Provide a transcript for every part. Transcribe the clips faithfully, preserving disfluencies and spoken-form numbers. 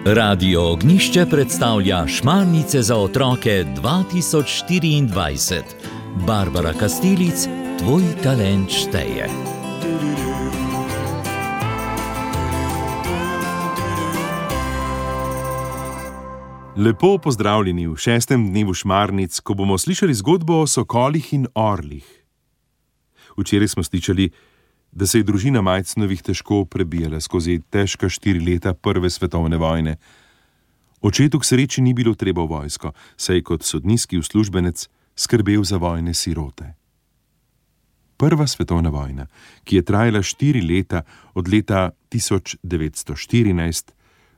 Radio Ognjišče predstavlja Šmarnice za otroke dva tisoč štiriindvajset. Barbara Kastelic, tvoj talent šteje. Lepo pozdravljeni v šestem dnevu Šmarnic, ko bomo slišali zgodbo o sokolih in orlih. Včeraj smo slišali, da se je družina Majcnovih težko prebijala skozi težka štiri leta prve svetovne vojne. Očetu k sreči ni bilo treba v vojsko, saj kot sodniški uslužbenec skrbel za vojne sirote. Prva svetovna vojna, ki je trajala štiri leta, od leta tisoč devetsto štirinajst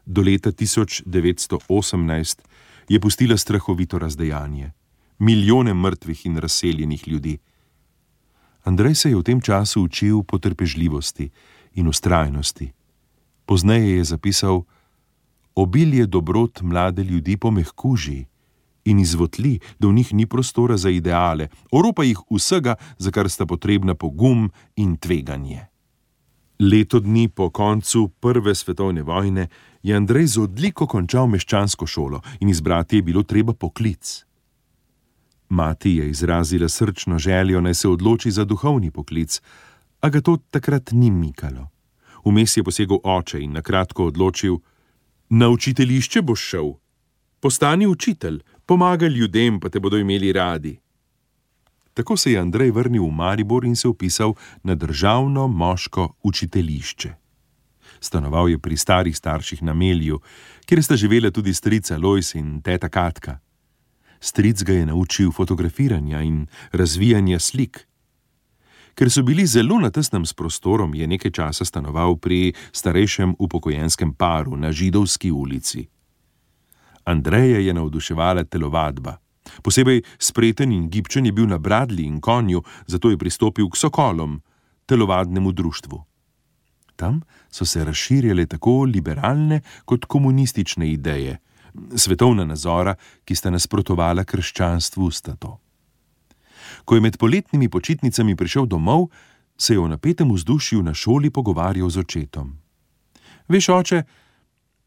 do leta tisoč devetsto osemnajst, je pustila strahovito razdejanje, milijone mrtvih in razseljenih ljudi. Andrej se je v tem času učil potrpežljivosti in vztrajnosti. Pozneje je zapisal: obilje dobrot mlade ljudi pomehkuži in izvotli, da v njih ni prostora za ideale, oropa jih vsega, za kar sta potrebna pogum in tveganje. Leto dni po koncu prve svetovne vojne je Andrej z odliko končal meščansko šolo in izbrati je bilo treba poklic. Mati je izrazila srčno željo, naj se odloči za duhovni poklic, a ga to takrat ni mikalo. Vmes je posegel oče in nakratko odločil: na učiteljišče boš šel, postani učitelj, pomagaj ljudem, pa te bodo imeli radi. Tako se je Andrej vrnil v Maribor in se vpisal na državno moško učiteljišče. Stanoval je pri starih starših na Melju, kjer sta živela tudi strica Lojz in teta Katka. Stric ga je naučil fotografiranja in razvijanja slik. Ker so bili zelo na tesnem s prostorom, je nekaj časa stanoval pri starejšem upokojenskem paru na Židovski ulici. Andreja je navduševala telovadba. Posebej spreten in gibčen je bil na bradlji in konju, zato je pristopil k Sokolom, telovadnemu društvu. Tam so se razširjale tako liberalne kot komunistične ideje, svetovna nazora, ki sta nasprotovala krščanstvu, sta to. Ko je med poletnimi počitnicami prišel domov, se je v napetem vzdušju na šoli pogovarjal z očetom. Veš, oče,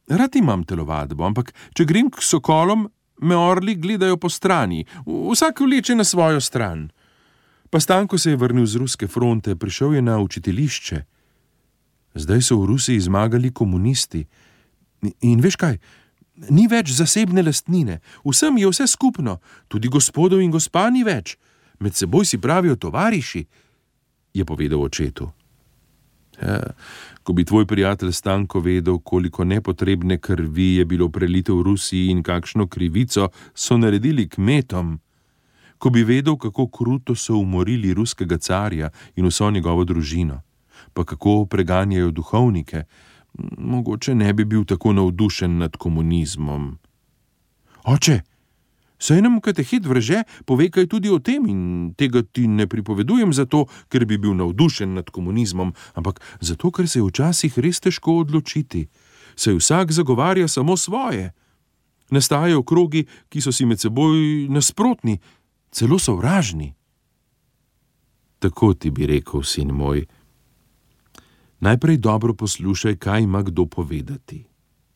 rad imam telovadbo, ampak če grem k Sokolom, me orli gledajo po strani, vsak vleče na svojo stran. Pa Stanko se je vrnil z ruske fronte, prišel je na učiteljišče. Zdaj so v Rusiji zmagali komunisti. In veš kaj, ni več zasebne lastnine, vsem je vse skupno, tudi gospodov in gospa ni več. Med seboj si pravijo tovariši, je povedal očetu. Ja, ko bi tvoj prijatelj Stanko vedel, koliko nepotrebne krvi je bilo prelito v Rusiji in kakšno krivico so naredili kmetom, ko bi vedel, kako kruto so umorili ruskega carja in vso njegovo družino, pa kako preganjajo duhovnike, mogoče ne bi bil tako navdušen nad komunizmom. Oče, saj nam katehet vrže, povej kaj tudi o tem in tega ti ne pripovedujem zato, ker bi bil navdušen nad komunizmom, ampak zato, ker se je včasih res težko odločiti. Saj vsak zagovarja samo svoje. Nastajajo krogi, ki so si med seboj nasprotni, celo sovražni. Tako ti bi rekel, sin moj. Najprej dobro poslušaj, kaj ima kdo povedati.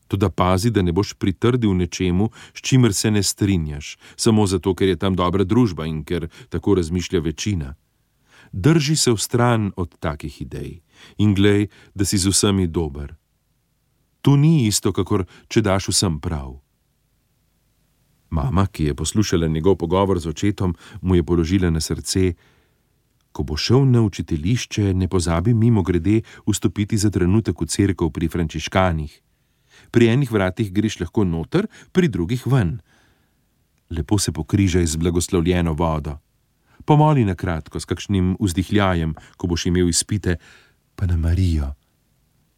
Toda pazi, da ne boš pritrdil nečemu, s čimer se ne strinjaš, samo zato, ker je tam dobra družba in ker tako razmišlja večina. Drži se vstran od takih idej in glej, da si z vsemi dober. To ni isto, kakor če daš vsem prav. Mama, ki je poslušala njegov pogovor z očetom, mu je položila na srce: ko bo šel na učiteljišče, ne pozabi mimogrede vstopiti za trenutek v cerkev pri frančiškanih. Pri enih vratih greš lahko noter, pri drugih ven. Lepo se pokrižaj z blagoslovljeno vodo. Pomoli na kratko s kakšnim vzdihljajem, ko boš imel izpite, pa na Marijo.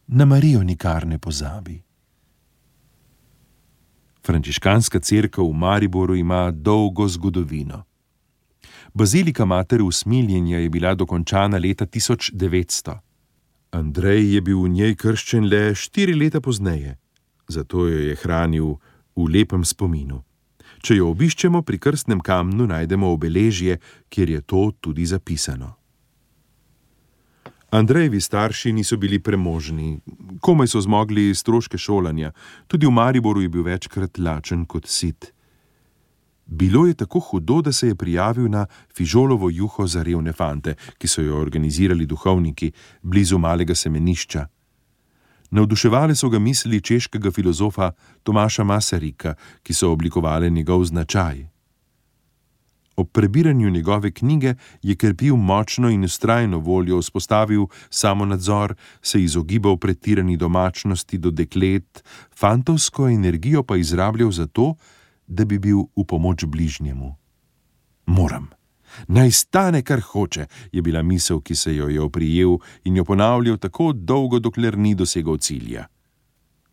Na Marijo nikar ne pozabi. Frančiškanska cerkev v Mariboru ima dolgo zgodovino. Bazilika Matere usmiljenja je bila dokončana leta tisoč devetsto. Andrej je bil v njej krščen le štiri leta pozneje, zato jo je hranil v lepem spominu. Če jo obiščemo, pri krstnem kamnu najdemo obeležje, kjer je to tudi zapisano. Andrejevi starši niso bili premožni, komaj so zmogli stroške šolanja, tudi v Mariboru je bil večkrat lačen kot sit. Bilo je tako hudo, da se je prijavil na fižolovo juho za revne fante, ki so jo organizirali duhovniki blizu malega semenišča. Navduševale so ga misli češkega filozofa Tomaša Masarika, ki so oblikovale njegov značaj. Ob prebiranju njegove knjige je krepil močno in vztrajno voljo, vzpostavil samonadzor, se izogibal pretirani domačnosti do deklet, fantovsko energijo pa izrabljal za to, da bi bil v pomoč bližnjemu. Moram. Naj stane, kar hoče, je bila misel, ki se jo je oprijel in jo ponavljal tako dolgo, dokler ni dosegal cilja.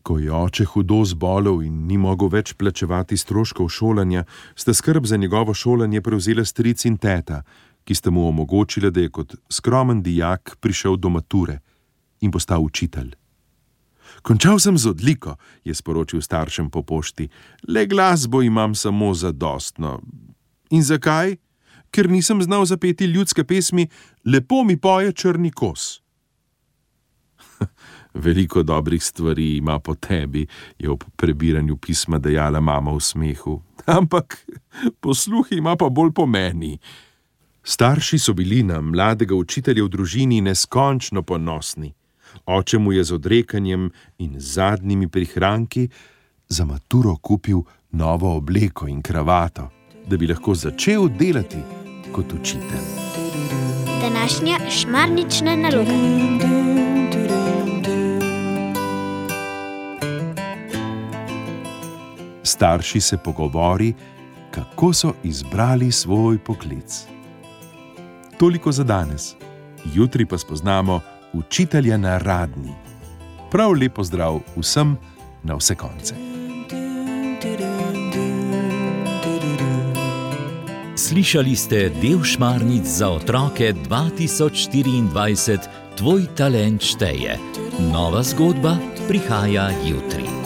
Ko je oče hudo zbolel in ni mogel več plačevati stroškov šolanja, sta skrb za njegovo šolanje prevzela stric in teta, ki sta mu omogočila, da je kot skromen dijak prišel do mature in postal učitelj. Končal sem z odliko, je sporočil staršem po pošti, le glasbo imam samo zadostno. In zakaj? Ker nisem znal zapeti ljudske pesmi Lepo mi poje črni kos. Veliko dobrih stvari ima po tebi, je ob prebiranju pisma dejala mama v smehu. Ampak posluh ima pa bolj po meni. Starši so bili na mladega učitelja v družini neskončno ponosni. Oče mu je z odrekanjem in zadnjimi prihranki za maturo kupil novo obleko in kravato, da bi lahko začel delati kot učitelj. Današnja šmarnična naloga. Starši se pogovori, kako so izbrali svoj poklic. Toliko za danes. Jutri pa spoznamo učitelja na Radni. Prav lep pozdrav vsem na vse konce. Slišali ste del Šmarnic za otroke dva tisoč štiriindvajset Tvoj talent šteje. Nova zgodba prihaja jutri.